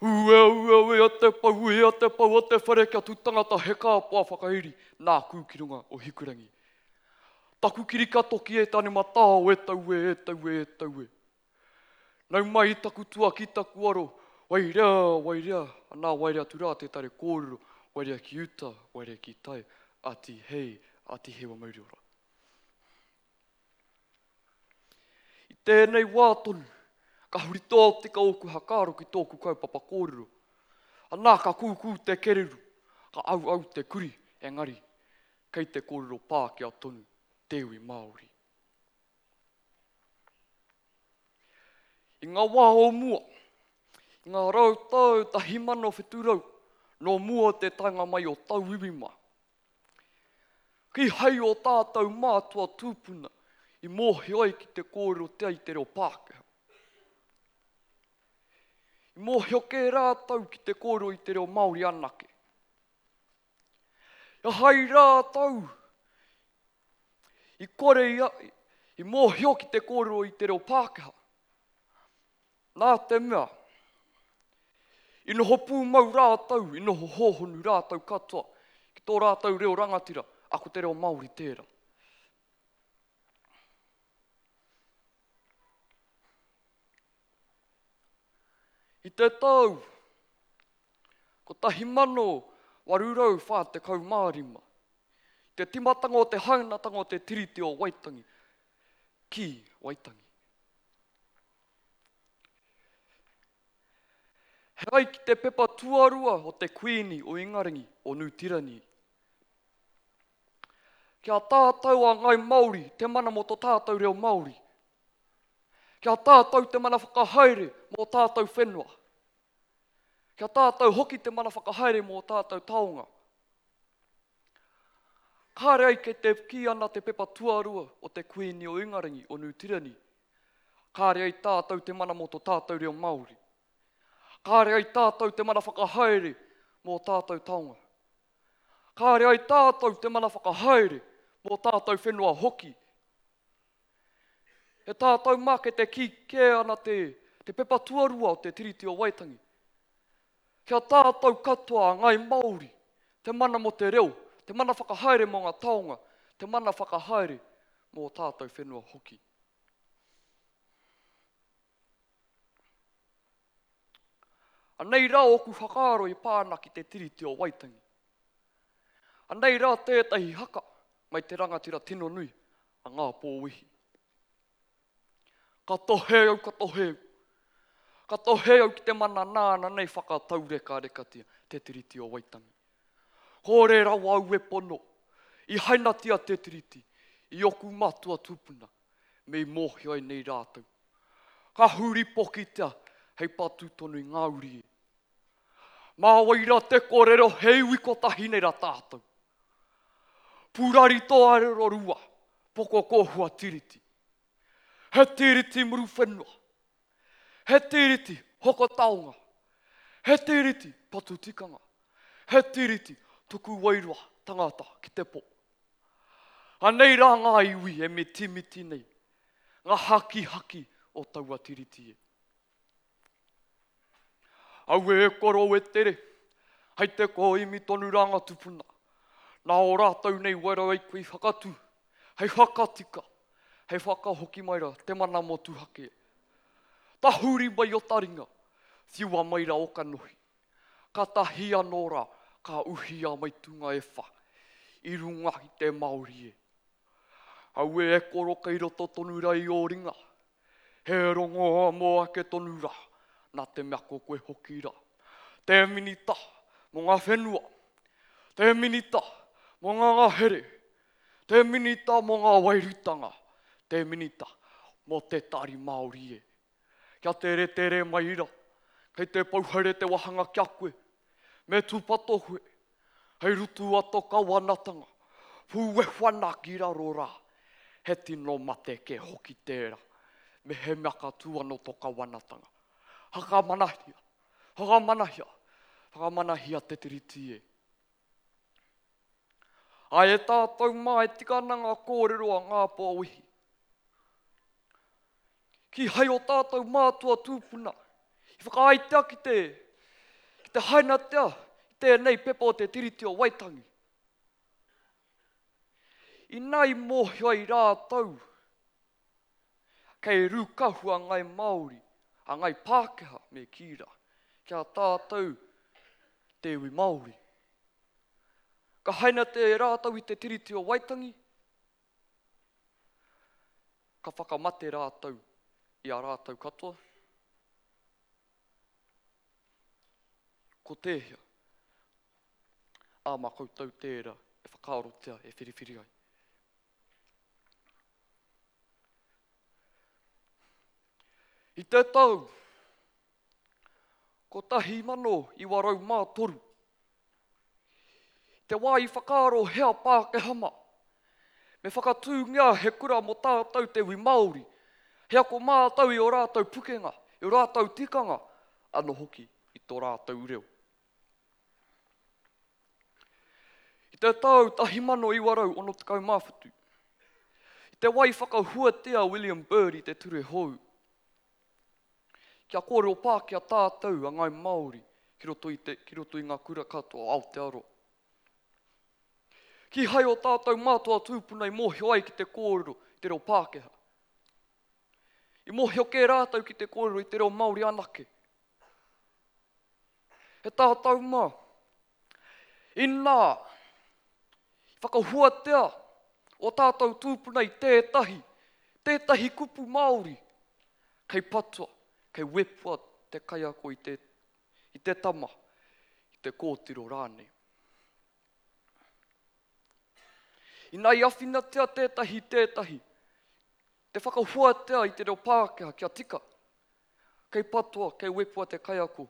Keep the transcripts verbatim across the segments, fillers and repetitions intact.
Ue, ue, ue, te pau, ue, te pau o te whare kia tū tangata he kāpoa whakairi nāku ki runga o Hikurangi. Taku kiri ka toki e tane matao e tau e, e tau e, e tau e. Nau mai taku tua ki taku aro, wairea, wairea, anā wairea atu rā te tare kōrero, wairea ki uta, wairea ki tai, ati hei, ati hei wa mauri ora. I tēnei wā tonu, ka huri tōtika ōku hakaaro ki tōku kaupapa kōrero. Anā ka kūkū te kereru, ka au au te kuri, engari, kei te kōrero Pākehā tonu, te iwi Māori. I ngā wā o mua, i ngā rau tau tahi mano whitu rau, nō mua te taenga mai o tauiwi mā. Kīhai o tātou mātua tūpuna i mōhio ai ki te kōrero tea i te reo Pākehā. I mōhio kē rātou ki te kōrero i te reo Māori anake. I hai rātou i kore ia, i mōhio ki te kōrero i te reo Pākehā. Nā te mea, i noho pūmau rātou, i noho hōhonu rātou katoa, ki tō rātou reo rangatira, a ko te reo Māori tērā. I te tau, kotahi mano waru rau whā tekau mā rima, te timatanga o te hainatanga o te Tiriti o Waitangi, ki Waitangi. He ai ki te pepa tuarua o te Kuini o Ingarangi o Nū Tirani. Kia tātou a Ngai Māori te mana mō tō tātou reo Māori. Kia tātou te mana whakahaere mō tātou whenua. Kia tātou hoki te mana whakahaere mō tātou taonga. Kāre ai kei te kī ana te pepa tuarua o te Kuini o Ingarangi o Nū Tirani. Kāre ai tātou te mana mō tō tātou reo Māori. Kāre ai tātou te mana whakahaere mō tātou taonga. Kāre ai tātou te mana whakahaere mō tātou whenua hoki. He tātou mā ke te kī kē ana te, te pepa tuarua o te Tiriti o Waitangi. Kia tātou katoa a Ngai Māori, te mana mō te reo, te mana whakahaere mō ngā taonga, te mana whakahaere mō tātou whenua hoki. Anei rā ōku whakaaro i pāna ki te Tiriti o Waitangi. Anei rā tētahi haka mai te rangatira tino nui a Ngā Pōwihi. Ka tohe au, ka tohe au. Ka tohe au ki te mana nāna nei whakataurekarekatia te Tiriti o Waitangi. Kōre rawa au e pono, i hainatia te Tiriti, i oku matua tūpuna, me i mōhio ai nei rātou. Ka huri pokitea hei patu tonu i ngā uri e. Mā wai rā te kōrero he iwi kotahi nei rā tātou. Pūrari tō arero rua, poko kōhua tiriti. He tiriti muru whenua. He tiriti hoko taonga. He tiriti patu tikanga. He tiriti tuku wairua tangata ki te pō. Anei rā ngā iwi e mitimiti nei, ngā hakihaki o taua tiriti e. Aue e koro e tere, hei te kōimi tonu rā ngā tupuna. Nā o rātou nei wairau ai koe i whakatū, hei whakatika, hei whakahoki mai rā te mana motuhake. Tahuri mai o taringa, whiua mai rā o kanohi. Ka tahi anō rā, ka uhia mai tūnga e wha, i runga i te Māori e. Aue e koro kei roto tonu rā i ō ringa, he rongoa mō ake tonu rā, nā te mea ko koe hoki rā. Te minita mō ngā whenua, te minita mō ngā ngahere, te minita mō ngā wairutanga, te minita mō te tari Māori e. Kia tere tere mai rā, kei te pouhere te wahanga kia koe, me tūpato koe, hei rutu a tō kawanatanga, pūwehu ana ki raro rā, he tino mate ke hoki tērā, me he mea ka tū anō tō kawanatanga. Whakamanahia, whakamanahia, whakamanahia te tiriti e. Ai e tātou mā e tika ana ngā kōrero a Ngā Pōwihi. Ki hai o tātou mātua tūpuna, i whakaaitea ki te, I te hainatea i tēnei pepa o te Tiriti o Waitangi. Ina i mōhio ai rātou, kei rūkahu a Ngai Māori, a Ngai Pākehā me kī rā, ki a tātou te iwi Māori. Ka hainatea e rātou i te Tiriti o Waitangi, ka whakamate rātou i a rātou katoa. Ko tēhea? Ā, mā koutou tērā e whakaarotia, e whiriwhiri ai. I te tau kotahi mano iwa rau mā toru, i te wā i whakaaro hea Pākehā mā, me whakatūngia he kura mō tātou te iwi Māori, he ako mātou i ō rātou pukenga, i ō rātou tikanga, anō hoki i tō rātou reo. I te tau tahi mano iwa rau ono tekau mā whitu, i te wā i whakahuatia William Bird i te ture hou, kia kōrero Pākehā tātou a Ngai Māori ki roto i te, ki roto i ngā kura katoa o Aotearoa. Kīhai o tātou mātua tūpuna i mōhio ai ki te kōrero i te reo Pākehā. I mōhio kē rātou ki te kōrero i te reo Māori anake. He tātou mā. Inā, i whakahuatea o tātou tūpuna i tētahi, tētahi kupu Māori, kei patua, kei wepua te kaiako i te, i te tama, i te kōtiro rānei. Inā i awhinatia tētahi tētahi, te whakahuatea i te reo Pākehā kia tika, kei patua, kei wepua te kaiako,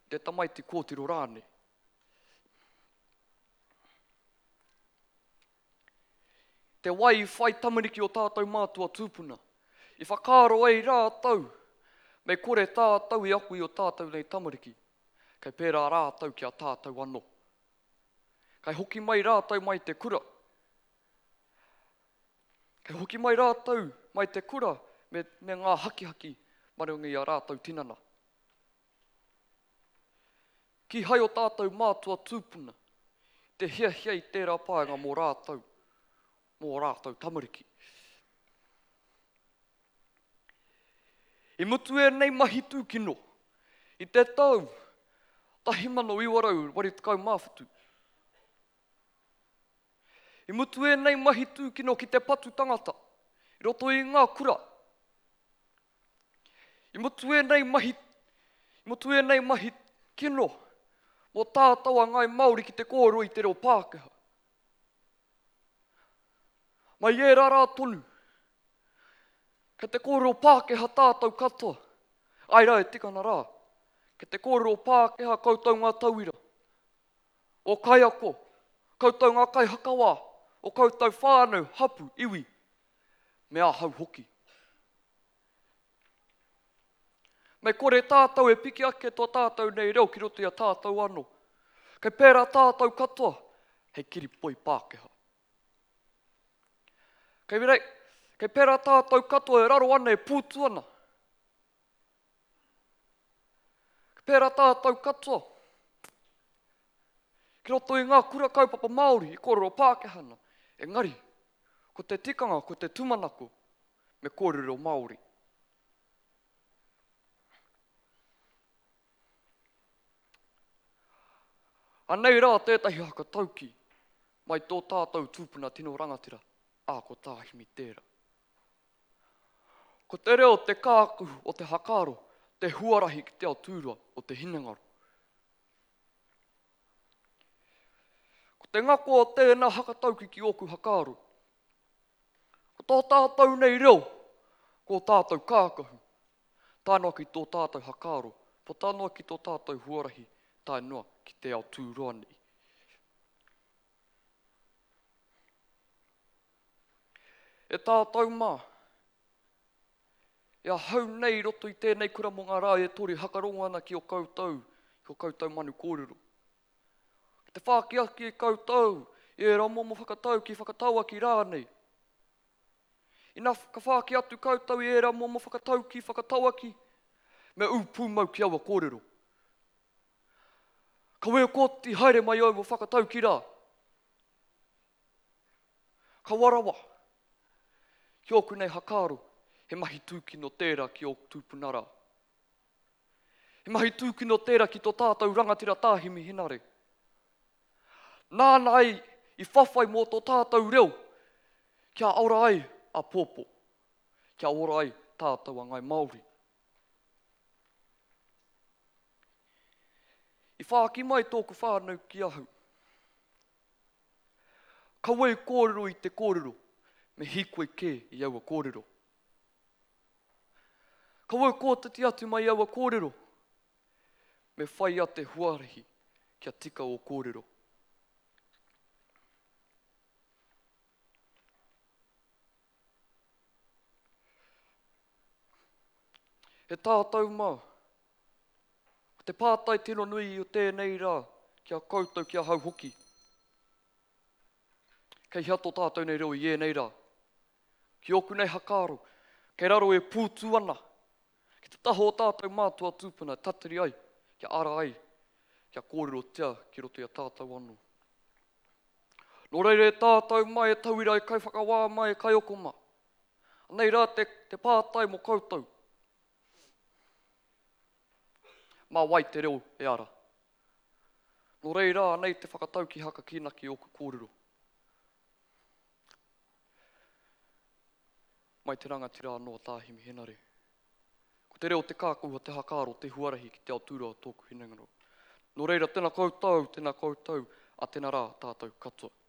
te tamaiti kōtiro rānei. Te wai i whai tamariki o tātou mātua tūpuna, i whakaaro ai rātou, me kore tātou i aku i o tātou nei tamariki, kei pērā rātou ki a tātou anō. Kei hoki mai rātou mai te kura. Kei hoki mai rātou mai te kura me, me ngā hakihaki marunga i a rātou tinana. Kīhai o tātou mātua tūpuna, te hiahia i tērā paenga mō rātou, mō rātou tamariki. I mutu ēnei mahi tūkino, i te tau tahi mano iwa rau waru tekau mā whitu. I mutu ēnei mahi tūkino ki te patu tangata, i roto i ngā kura. I mutu ēnei mahi, i mutu ēnei mahi kino, mō tātou a Ngai Māori ki te kōrero i te reo Pākehā. Mai ērā rā tonu, kei te kōrero Pākehā tātou katoa. Ai rā e tikana rā, kei te kōrero Pākehā koutou ngā tauira, o kaiako, koutou ngā kaihakawā, o koutou whānau, hapu, iwi, me ahau hoki. Me kore tātou e piki ake tō tātou nei reo ki roto i a tātou anō. Kei pērā tātou katoa, hei kiripoi Pākehā. Kei rei, kei pērā tātou katoa e raro ana e pūtu ana. Kei pērā tātou katoa. Ki roto i ngā kura kaupapa Māori i kōrero Pākehā ana. Engari, ko te tikanga, ko te tūmanako, me kōrero Māori. Anei rā tētahi hakatauki mai tō tātou tūpuna tino rangatira, ā ko Tāhimi tērā. Ko te reo te kākahu o te hakaaro, te huarahi ki te ao tūrua o te hinengaro. Ko te ngako o tēnā hakatauki ki ōku hakaaro. Ko tō tātou nei reo, ko tātou kākahu, tae noa ki tō tātou hakaaro, puta noa ki tō tātou huarahi, tae noa ki te ao tūroa nei. E tātou mā, e ahau nei roto i tēnei kura mō ngā rā e toru hakarongo ana ki o koutou, ki o koutou manu kōrero. Ki te whāki ake i koutou, i ērā momo whakatau ki whakataua ki rānei. Ina ka whāki atu koutou i ērā momo whakatau ki whakataua ki, me ū pūmau ki aua kōrero. Kawe kōti haere mai au mo whakatauki rā. Kawa rawa. Ki ōku nei hakaaro, he mahi tūkino tērā ki ōku tūpuna rā. He mahi tūkino tērā ki tō tātou rangatira Tā Himi Henare. Nāna ai i whawhai mō tō tātou reo, kia ora ai a pōpō, kia ora ai tātou a Ngai Māori. I whāki mai tōku whānau ki ahau. Kaua e kōrero i te kōrero, me hīkoi kē i aua kōrero. Kaua e kōtiti atu mai aua kōrero, me whai a te huarahi kia tika o kōrero. He tātou mā. Ko te pātai tino nui o tēnei rā, ki a koutou, ki ahau hoki. Kei hea tō tātou nei reo i ēnei rā? Ki ōku nei hakaaro, kei raro e pūtu ana, ki te taha o tātou mātua tūpuna tatari ai, kia ara ai, kia kōrerotia ki roto i a tātou anō. Nō reira e tātou mai, e tauira, e kaiwhakawā mai, e kaioko mā. Anei rā te, te pātai mō koutou. Mā wai te reo e ara? Nō reira, anei te whakatau ki haka kīnaki ōku kōrero. Mai te rangatira anō a Tā Himi Henare. Ko te reo te kākahu a te hakaaro te huarahi ki te ao tūroa o tōku hinengaro. Nō reira, tēnā koutou, tēnā koutou, a tēnā rā tātou katoa.